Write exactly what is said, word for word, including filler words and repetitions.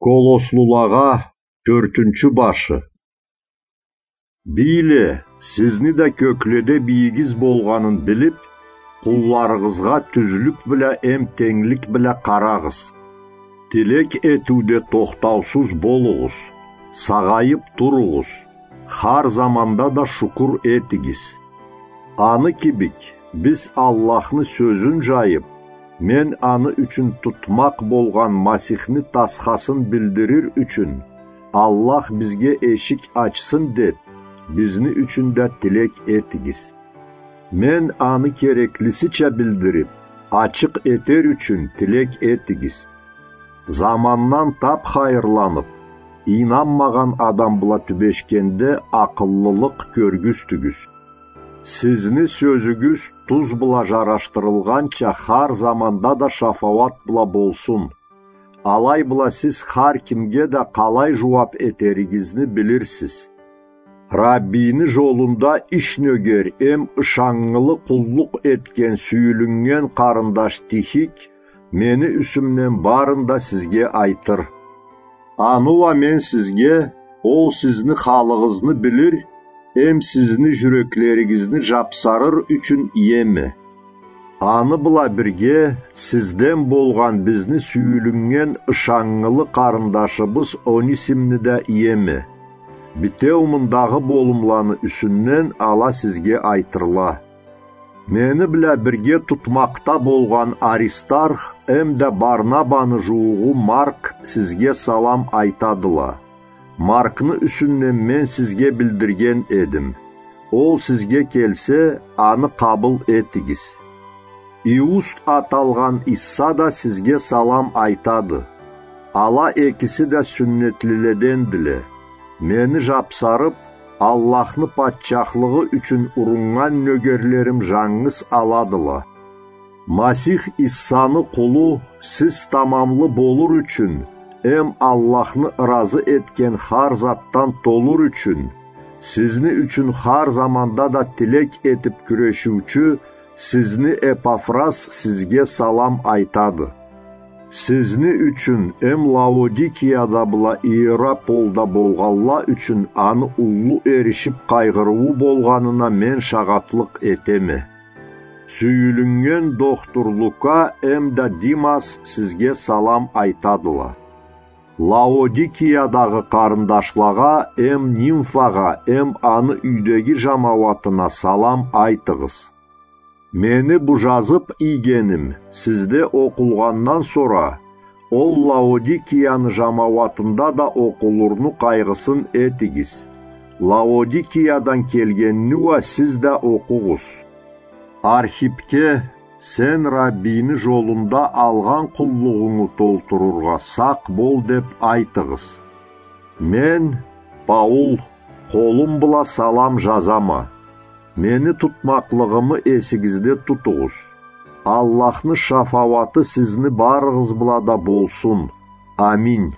Колослулагъа, тёртюнчю башы. Бийле, сизни да кёкледе бийигиз болгъанын билип, къулларыгъызгъа тюзлюк бла эм тенглик бла къарагъыз. Тилек этиуде тохтаусуз болугъуз, сагъайып туругъуз, хар заманда да шукур этигиз. Аны кибик, биз Аллахны сёзюн жайып, мен аны ючюн тутмакъ болгъан Масихни тасхасын билдирир ючюн, Аллах бизге эшик ачсын деп, бизни ючюн да тилек этигиз. Мен аны кереклисича билдирип, ачыкъ этер ючюн тилек этигиз. Замандан тап хайырланып, ийнанмагъан адам бла тюбешгенде акъыллылыкъ кёргюзтюгюз. Сизни сёзюгюз туз бла жарашдырылгъанча хар заманда да шафауат бла болсун. Алай бла сиз хар кимге да къалай жууап этеригизни билирсиз. Раббийни жолунда иш нёгер эм ышаннгылы къуллукъ этген сюйюлюннген къарындаш Тихик мени юсюмден барын да сизге айтыр. Аны уа мен сизге, ол сизни халыгъызны билир эм сизни жюреклеригизни жапсарыр ючюн иеме. Аны бла бирге сизден болгъан бизни сюйюлюннген ышаннгылы къарындашыбыз Онисимни да иеме. Битеу мындагъы болумланы юсюнден ала сизге айтырла. Мени бла бирге тутмакъда болгъан Аристарх эм да Барнабаны жуугъу Марк сизге салам айтадыла. Маркны юсюнден мен сизге билдирген эдим. Ол сизге келсе, аны къабыл этигиз. Иуст аталгъан Исса да сизге салам айтады. Ала экиси да сюннетлиледендиле. Мени жапсарып, Аллахны патчахлыгъы ючюн уруннган нёгерлерим жангыз аладыла. Масих Иссаны къулу сиз тамамлы болур ючюн эм Аллахны ыразы этген хар затдан толур ючюн, сизни ючюн хар заманда да тилек этип кюрешиучю сизни Эпафрас сизге салам айтады. Сизни ючюн эм Лаодикияда бла Иераполда болгъанла ючюн аны уллу эришип къайгъырыуу болгъанына мен шагъатлыкъ этеме. Сюйюлюннген дохтур Лука эм да Димас сизге салам айтадыла. Лаодикиядагъы къарындашлагъа эм Нимфагъа эм аны юйдеги жамауатына салам айтыгъыз. Мени бу жазып ийгеним сизде окъулгъандан сора, ол Лаодикияны жамауатында да окъулурну къайгъысын этигиз. Лаодикиядан келгенни уа сиз да окъугъуз. Архипге: «Сен Раббийни жолунда алгъан къуллугъунгу толтурургъа сакъ бол», — деп айтыгъыз. Мен, Паул, къолум бла салам жазама. Мени тутмакълыгъымы эсигизде тутугъуз. Аллахны шафауаты сизни барыгъыз бла да болсун. Аминь.